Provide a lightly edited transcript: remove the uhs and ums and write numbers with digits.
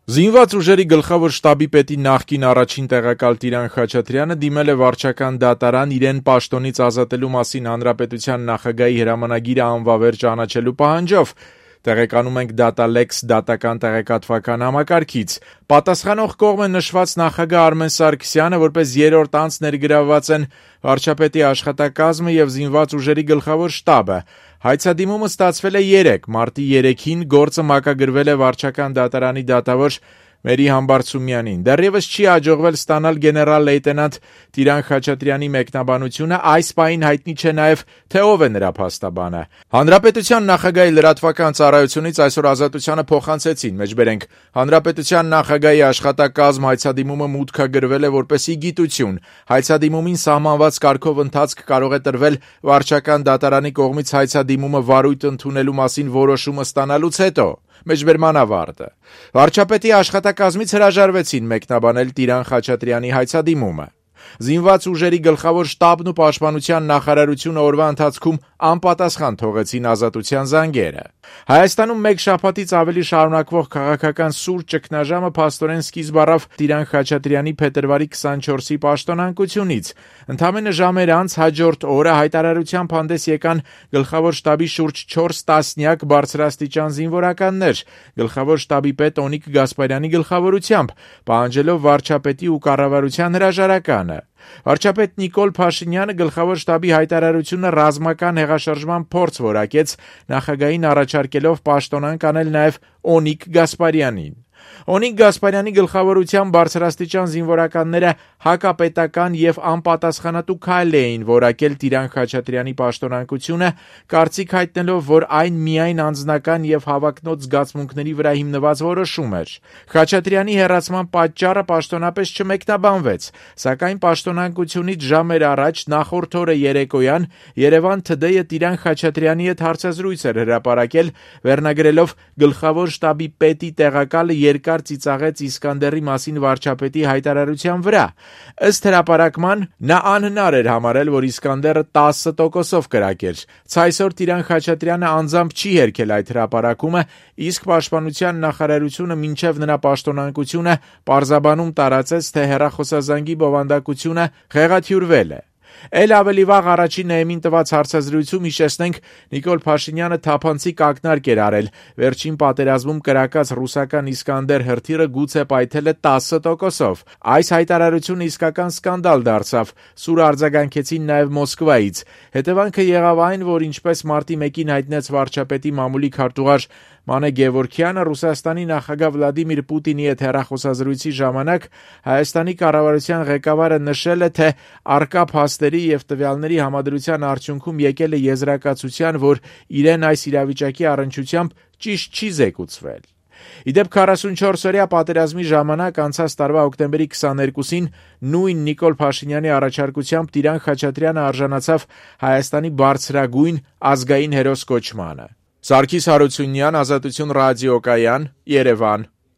Զինված ուժերի գլխավոր շտաբի պետի նախկին առաջին տեղակալ Տիրան Խաչատրյանը դիմել է վարչական դատարան իրեն պաշտոնից ազատելու մասին հանրապետության նախագահի հրամանագիրը անվավեր ճանաչելու պահանջով։ Տեղեկանում ենք Data-Lex դատական տեղեկատվական համակարգից։ Պատասխանող կողմ է նշված նախագահ Արմեն Սարգսյանը, որպես երրորդ անձ ներգրավված են վարչապետի աշխատակազմը եւ զինված ուժերի գլխավոր շտաբը։ Հայցադիմումը ստացվել է 3, մարտի 3-ին գործը մակագրվել է վարչական դատարանի դատավոր Մերի Համբարձումյանին։ Դեռևս չի հաջողվել ստանալ գեներալ լեյտենանտ Տիրան Խաչատրյանի մեկնաբանությունը, այս պահին հայտնի չէ նաև, թե ով է նրա փաստաբանը։ Հանրապետության նախագահի լրատվական ծառայությունից այսօր Ազատությանը փոխանցեցին, մեջբերենք, հանրապետության նախագահի աշխատակազմ հայցադիմումը մուտքագրվել է որպեսի գիտություն։ Հայցադիմումին սահմանված կարգով ընթացք կարող է տրվել վարչական դատարանի կողմից հայցադիմումը վարույթ ընդունելու մասին որոշումը ստանալուց հետո։ Մեջբերման ավարտը։ Վարչապետի աշխատակազմից հրաժարվեցին մեկնաբանել Տիրան Խաչատրյանի հայցադիմումը։ Զինված ուժերի գլխավոր շտաբն ու պաշտպանության նախարարությունը օրվա ընթացքում անպատասխան թողեցին Ազատության զանգերը։ Հայաստանում մեկ շաբաթից ավելի շարունակվող քաղաքական սուր ճգնաժամը փաստորեն սկիզբ առավ Տիրան Խաչատրյանի փետրվարի 24-ի պաշտոնանկությունից։ Ընդամենը ժամեր անց հաջորդ օրը հայտարարությամբ հանդես եկան գլխավոր շտաբի շուրջ 4 տասնյակ բարձրաստիճան զինվորականներ, գլխավոր շտաբի պետ Օնիկ Գասպարյանի գլխավորությամբ, պահանջելով վարչապետի ու կառավարության հրաժարականը։ Վարչապետ Նիկոլ Փաշինյանը գլխավոր շտաբի հայտարարությունը ռազմական հեղաշրջման փորձ որակեց, նախագահին առաջարկելով պաշտոնանկ անել նաև Օնիկ Գասպարյանին։ Օնիկ Գասպարյանի գլխավորությամբ բարձրաստիճան զինվորականները հակապետական եւ անպատասխանատու քայլ էին որակել Տիրան Խաչատրյանի պաշտոնանկությունը, կարծիք հայտնելով, որ այն միայն անձնական եւ հավակնոտ զգացմունքների վրա հիմնված որոշում էր։ Խաչատրյանի հեռացման պատճառը պաշտոնապես չմեկնաբանվեց, սակայն պաշտոնանկությունից ժամեր առաջ նախորդ օրը երեկոյան Երևան Today-ը Տիրան Խաչատրյանի հետ հարցազրույց էր հրապարակել, վերնագրելով գլխավոր շտաբի պետի տեղակալը երկար ծիծաղեց Իսկանդերի մասին վարչապետի հայտարարության վրա։ Ըստ հրապարակման, նա անհնար էր համարել, որ Իսկանդերը 10%-ով կրակեր։ Ցայսօր Տիրան Խաչատրյանը անձամբ չի հերքել այդ հրապարակումը, իսկ պաշտպանության նախարարությունը մինչև նրա պաշտոնանկությունը պարզաբանում տարածեց, թե հեռախոսազանգի բովանդակությունը խեղաթյուրվել է։ Էլ ավելի վաղ առաջին էմին տված հարցազրույցում հիշեցնենք Նիկոլ Փաշինյանը թափանցիկ ակնարկ էր արել։ Վերջին պատերազմում կրակած ռուսական Իսկանդեր հրթիռը գուցե պայթել է 10%-ով։ Այս հայտարարությունը իսկական սկանդալ դարձավ։ Սուր արձագանքեցին նաև Մոսկվայից։ Հետևանքը եղավ այն, որ ինչպես մարտի 1-ին հայտնեց վարչապետի մամուլի քարտուղար Մանե Գևորգյանը, Ռուսաստանի նախագահ Վլադիմիր Պուտինի հետ հեռախոսազրույցի ժամանակ Հայաստանի կառավարության ղեկավարը նշել է, թե առկա փաստերի եւ տվյալների համադրության արդյունքում եկել է եզրակացության, որ իրեն այս իրավիճակի առնչությամբ ճիշտ չի զեկուցվել։ Իդեպ 44-օրյա պատերազմի ժամանակ անցած տարվա հոկտեմբերի 22-ին նույն Նիկոլ Փաշինյանի առաջարկությամբ Տիրան Խաչատրյանը արժանացավ Հայաստանի բարձրագույն ազգային հերոս կոչմանը։ Սարգիս Հարությունյան, Ազատություն ռադիոկայան, Երևան։